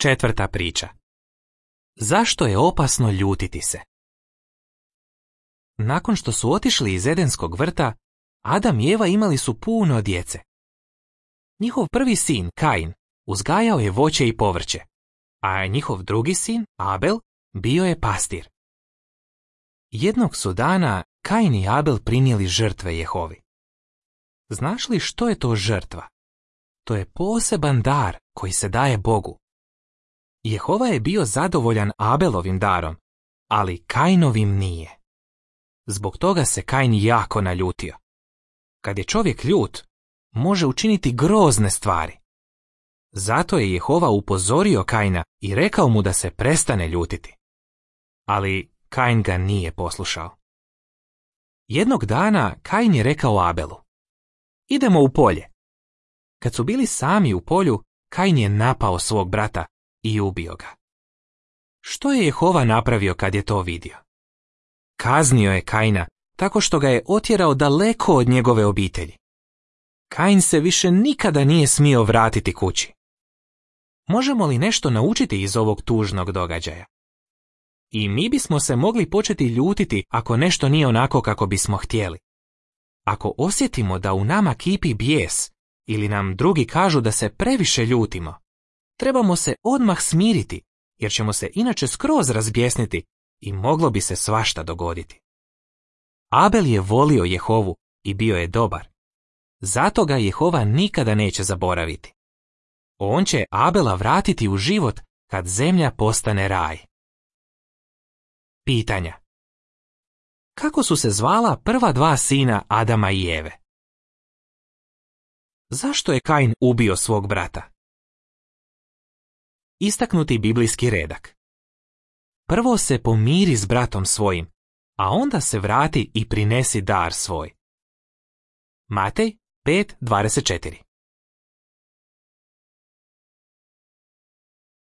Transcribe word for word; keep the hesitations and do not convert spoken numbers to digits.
Četvrta priča. Zašto je opasno ljutiti se? Nakon što su otišli iz Edenskog vrta, Adam i Eva imali su puno djece. Njihov prvi sin, Kain, uzgajao je voće i povrće, a njihov drugi sin, Abel, bio je pastir. Jednog su dana Kain i Abel prinijeli žrtve Jehovi. Znaš li što je to žrtva? To je poseban dar koji se daje Bogu. Jehova je bio zadovoljan Abelovim darom, ali Kainovim nije. Zbog toga se Kain jako naljutio. Kad je čovjek ljut, može učiniti grozne stvari. Zato je Jehova upozorio Kaina i rekao mu da se prestane ljutiti. Ali Kain ga nije poslušao. Jednog dana Kain je rekao Abelu: idemo u polje. Kad su bili sami u polju, Kain je napao svog brata i ubio ga. Što je Jehova napravio kad je to vidio? Kaznio je Kaina tako što ga je otjerao daleko od njegove obitelji. Kain se više nikada nije smio vratiti kući. Možemo li nešto naučiti iz ovog tužnog događaja? I mi bismo se mogli početi ljutiti ako nešto nije onako kako bismo htjeli. Ako osjetimo da u nama kipi bijes ili nam drugi kažu da se previše ljutimo, trebamo se odmah smiriti, jer ćemo se inače skroz razbjesniti i moglo bi se svašta dogoditi. Abel je volio Jehovu i bio je dobar. Zato ga Jehova nikada neće zaboraviti. On će Abela vratiti u život kad zemlja postane raj. Pitanja. Kako su se zvala prva dva sina Adama i Eve? Zašto je Kain ubio svog brata? Istaknuti biblijski redak. Prvo se pomiri s bratom svojim, a onda se vrati i prinesi dar svoj. Matej pet dvadeset četiri.